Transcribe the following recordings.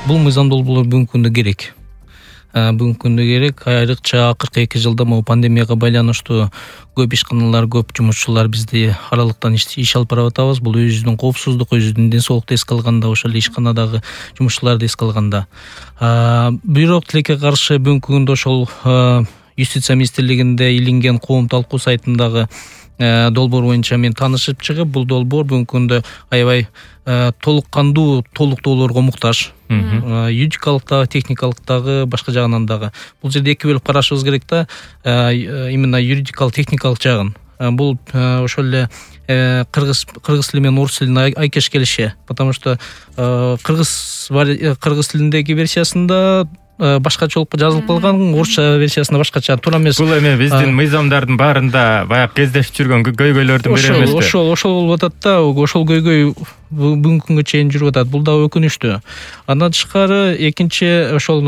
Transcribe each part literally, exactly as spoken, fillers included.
Бул мыйзам долбоорлор бүгүнкү күндө керек. Бүгүнкү күндө керек. Айрыкча акыркы эки жылда могу пандемияга байланыштуу көп ишканалар, көп жумушчулар бизде аралыктан иш алып барып атабыз. Бул өзүбүздүн коопсуздук, өзүбүздүн ден соолукту эске алганда, ошол эле ишканадагы жумушчуларды эске алганда. Бирок тилекке каршы бүгүнкү күндө ошол юстиция министрлигинде илинген коом талкуу сайтындагы долбоор боюнча мен таанышып чыгып, бул долбоор бүгүнкү күндө аябай толук кандуу толуктоолорго муктаж. Юридикалык дагы, техникалык дагы, башка жагынан дагы. Бул жерде эки бөлүп карашыбыз керек да, именно юридикалык, техникалык жагын. Бул ошол эле кыргыз кыргыз тили менен орус тилин айкеш келиши, потому что кыргыз кыргыз тилиндеги версиясында башкачалык жазылып калган, орусча версиясында башкача. Туура эмес. Бул эми биздин мыйзамдардын баарында баягы кездешип жүргөн көйгөйлөрдүн бири эмеспи? Ошол ошол болуп атат да, ошол көйгөй бүгүнкү күнгө чейин жүрүп атат. Бул дагы өкүнүчтүү. Андан тышкары экинчи ошол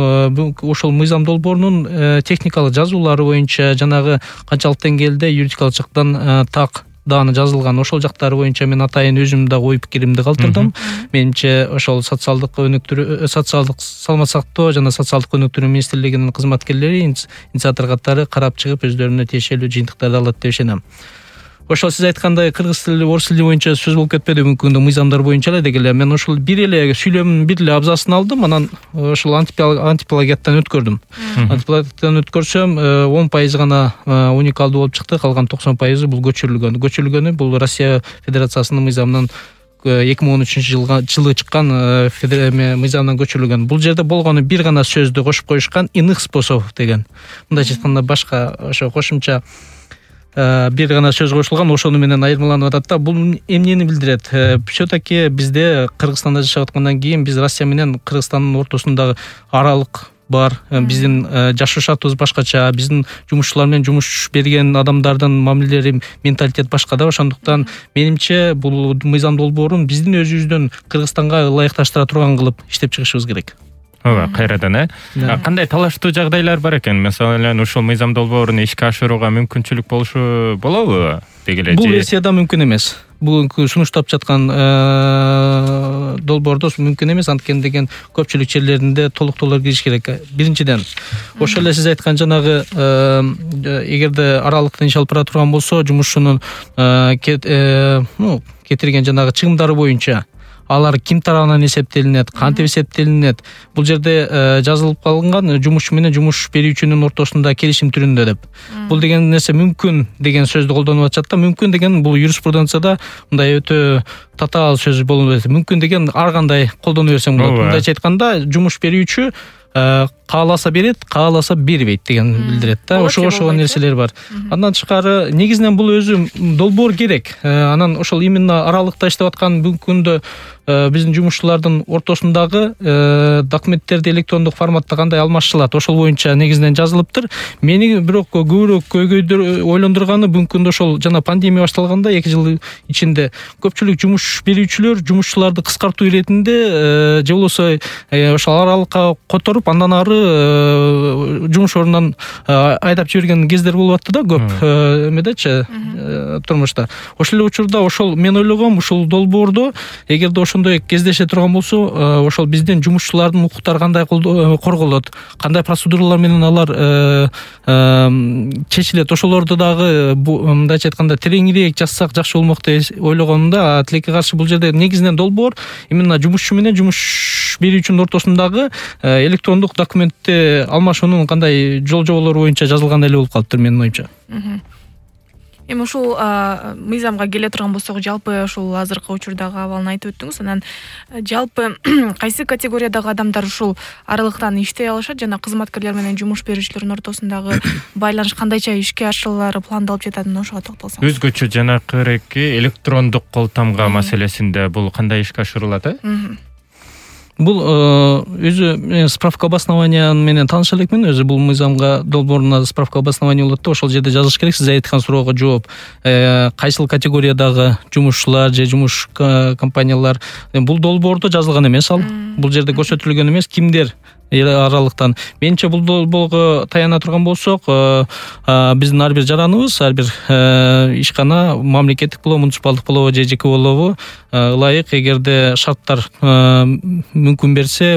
ошол мыйзам долбоорунун техникалык жазуулары боюнча жанагы канчалык деңгээлде юридикалык жактан так дааны жазылган, ошол жактары боюнча мен атайын өзүм да ой пикиримди калтырдым. Менимче ошол социалдык өнүктүрүү, социалдык саламаттык сактоо жана социалдык өнүктүрүү министрлигинин кызматкерлери, инициатор катары карап чыгып өздөрүнө тиешелүү жыйынтыктарды алат деп ишенем. Ошол сиз айткандай кыргыз тили, орус тили боюнча сөз болуп кетпеди бүгүнкү күндө мыйзамдар боюнча эле дегеле. Мен ошол бир эле сүйлөмдүн бир эле абзацын алдым, анан ошол антиплагиаттан өткөрдүм. Антиплагиаттан өткөрсөм он пайыз гана уникалдуу болуп чыкты, калган токсон пайызы бул көчүрүлгөн. Көчүрүлгөнү бул Россия Федерациясынын мыйзамынан эки миң он үчүнчү жылы чыккан мыйзамдан көчүрүлгөн. Бул жерде болгону бир гана сөздү кошуп коюшкан, иных способов деген. Мындайча айтканда башка ошо кошумча бир гана сөз кошулган, ошону менен айырмаланып атат да. Бул эмнени билдирет? Все-таки бизде Кыргызстанда жашап аткандан кийин биз Россия менен Кыргызстандын ортосундагы аралык бар. Биздин жашоо шартыбыз башкача, биздин жумушчулар менен жумуш берген адамдардын мамилелери, менталитет башка да. Ошондуктан менимче бул мыйзам долбоорун биздин өзүбүздүн Кыргызстанга ылайыкташтыра турган кылып иштеп чыгышыбыз керек. Ооба, кайрадан э. Кандай талаштуу жагдайлар бар экен? Мисалын, ушул мыйзам долбоорун ишке ашырууга мүмкүнчүлүк болушу болобу? Дегеле бул версияда мүмкүн эмес. Бүгүнкү сунуштап жаткан долбоордо мүмкүн эмес, анткени деген көпчүлүк жерлеринде толуктоолор кириш керек. Биринчиден, ошол эле сиз айткан жанагы эгерде аралыктан иш алып бара турган болсо, жумушчунун кетирген жанагы чыгымдары боюнча алар ким тарабынан эсептелинет, кантип эсептелинет, бул жерде жазылып калган жумушчу менен жумуш берүүчүнүн ортосунда келишим түрүндө деп. Бул деген нерсе мүмкүн деген сөздү колдонуп атышат да. Мүмкүн деген бул юриспруденцияда мындай өтө татаал сөз болуп атат. Мүмкүн деген ар кандай колдоно берсең болот. Мындайча айтканда, жумуш берүүчү кааласа берет, кааласа бербейт деген билдирет да. Ошо ошого нерселер бар. Андан тышкары негизинен бул өзү долбоор керек. Анан ошол именно аралыкта иштеп аткан бүгүнкү күндө биздин жумушчулардын ортосундагы документтерди электрондук форматта кандай алмашчылат, ошол боюнча негизинен жазылыптыр. Мени бирок көбүрөөк көйгөйдүр ойлондурганы бүгүнкү күндө ошол жана пандемия башталганда эки жыл ичинде көпчүлүк жумуш берүүчүлөр жумушчуларды кыскартуу иретинде же болбосо ошол аралыкка которуп, андан ары жумуш ордунан айдап жиберген кездер болуп атты да көп эмедечи турмушта. Ошол эле учурда ошол мен ойлогом, ушул долбоордо эгерде ошондой кездеше турган болсо, ошол биздин жумушчулардын укуктары кандай корголот, кандай процедуралар менен алар чечилет, ошолорду дагы мындайча айтканда тереңирээк жазсак жакшы болмок деп ойлогом да. Тилекке каршы бул жерде негизинен долбоор именно жумушчу менен жумуш берүүчүнүн ортосундагы электрондук документти алмашуунун кандай жол жоболору боюнча жазылган эле болуп калыптыр менин оюмча. Эми ушул мыйзамга келе турган болсок, жалпы ушул азыркы учурдагы абалын айтып өттүңүз. Анан жалпы кайсы категориядагы адамдар ушул аралыктан иштей алышат жана кызматкерлер менен жумуш берүүчүлөрдүн ортосундагы байланыш кандайча ишке ашырылары пландалып жатат, ошого токтолсоң. Өзгөчө жанакыреки электрондук кол тамга маселесинде бул кандай ишке ашырылат, э? Бул өзү справка обоснования менен тааныша элекмин. Өзү бул мыйзамга долбооруна справка обоснования болот да. Ошол жерде жазыш керек. Сиз айткан суроого жооп. Кайсыл категориядагы жумушчулар же жумуш компаниялар, бул долбоордо жазылган эмес ал. Бул жерде көрсөтүлгөн эмес. Кимдер аралыктан. Менимче бул долбоого таяна турган болсок, биздин ар бир жараныбыз, ар бир ишкана мамлекеттик болобу, муниципалдык болобу же жеке болобу ылайык, эгерде шарттар мүмкүн берсе,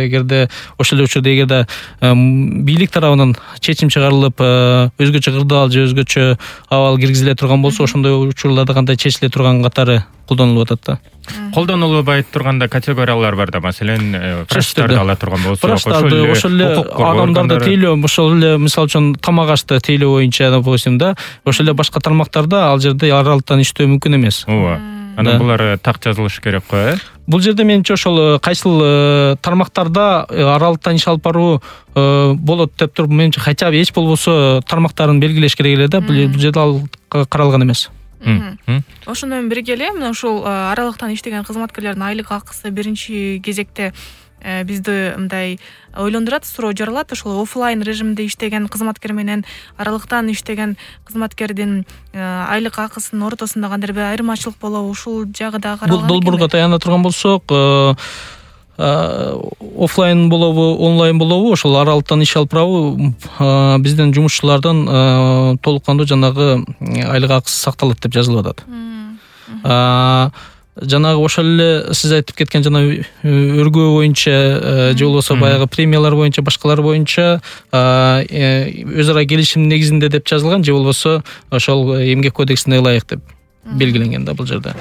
эгерде ошол эле учурда эгерде бийлик тарабынан чечим чыгарылып, өзгөчө кырдаал же өзгөчө абал киргизиле турган болсо, ошондой учурларда кандай чечиле турган катары колдонулуп атат да. Колдонулбай турганда категориялар бар да, маселен, врачтарды ала турган болсок, врачтарды, ошол эле адамдарды тейлөө, ошол эле мисалы үчүн тамак ашты тейлөө боюнча, допустим да, ошол эле башка тармактарда ал жерде аралыктан иштөө мүмкүн эмес. Ооба. Анан булар так жазылыш керек го, э? Бул жерде менимче ошол кайсыл тармактарда аралыктан иш алып баруу болот деп туруп, менимче хотя бы эч болбосо тармактарын белгилеш керек эле да, бул жерде ал каралган эмес. Ошондо менен бирге эле мына ушул аралыктан иштеген кызматкерлердин айлык акысы биринчи кезекте бизди мындай ойлондурат, суроо жаралат. Ошол офлайн режимде иштеген кызматкер менен аралыктан иштеген кызматкердин айлык акысынын ортосунда кандайдыр бир айырмачылык болобу, ушул жагы да каралган. Бул долбоорго таяна турган болсок, офлайн болобу, онлайн болобу, ошол аралыктан иш алып барабы, биздин жумушчулардын толук кандуу жанагы айлык акысы сакталат деп жазылып атат. Жанагы ошол эле сиз айтып кеткен жана өргөө боюнча же болбосо баягы премиялар боюнча, башкалар боюнча өз ара келишим негизинде деп жазылган, же болбосо ошол эмгек кодексине ылайык деп белгиленген да бул жерде.